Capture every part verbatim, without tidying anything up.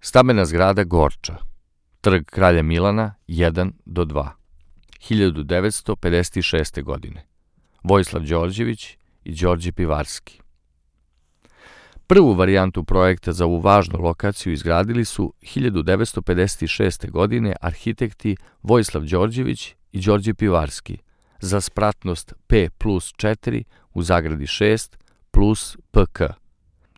Stambena zgrada Gorča, Trg Kralja Milana jedan do dva, hiljadu devetsto pedeset šeste. godine. Vojislav Đorđević i Đorđe Pivarski. Prvu varijantu projekta za ovu važnu lokaciju izgradili su hiljadu devetsto pedeset šeste. godine arhitekti Vojislav Đorđević i Đorđe Pivarski za spratnost P plus četiri u zagradi šest plus P K.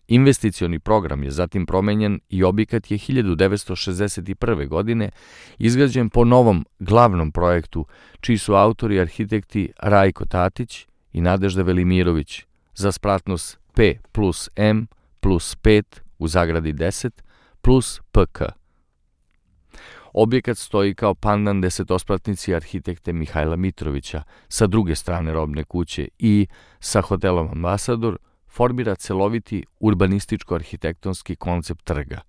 Investicioni program je zatim promenjen i objekat je hiljadu devetsto šezdeset prve. godine izgrađen po novom glavnom projektu, čiji su autori arhitekti Rajko Tatić i Nadežda Velimirović za spratnost P plus M plus pet u zagradi deset plus P K. Objekat stoji kao pandan desetospratnici arhitekte Mihajla Mitrovića sa druge strane robne kuće i sa hotelom Ambasador formira celoviti urbanističko-arhitektonski koncept trga,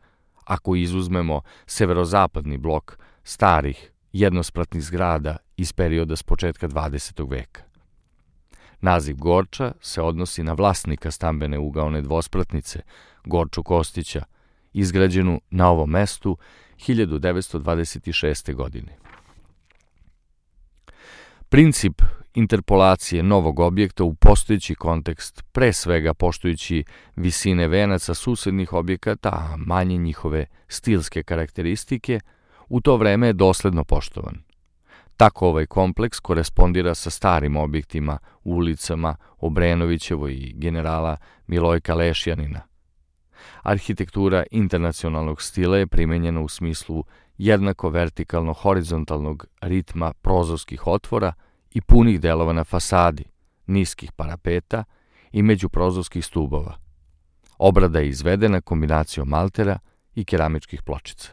ako izuzmemo severozapadni blok starih jednospratnih zgrada iz perioda s početka dvadesetog veka. Naziv Gorča se odnosi na vlasnika stambene ugaone dvospratnice, Gorču Kostića, izgrađenu na ovom mestu hiljadu devetsto dvadeset šeste. godine. Princip interpolacije novog objekta u postojeći kontekst, pre svega poštujući visine venaca susednih objekata, a manje njihove stilske karakteristike, u to vreme je dosledno poštovan. Tako ovaj kompleks korespondira sa starim objektima, ulicama Obrenovićevo i generala Milojka Lešjanina. Arhitektura internacionalnog stila je primenjena u smislu jednako vertikalno-horizontalnog ritma prozorskih otvora i punih delova na fasadi, niskih parapeta i međuprozorskih stubova. Obrada je izvedena kombinacijom maltera i keramičkih pločica.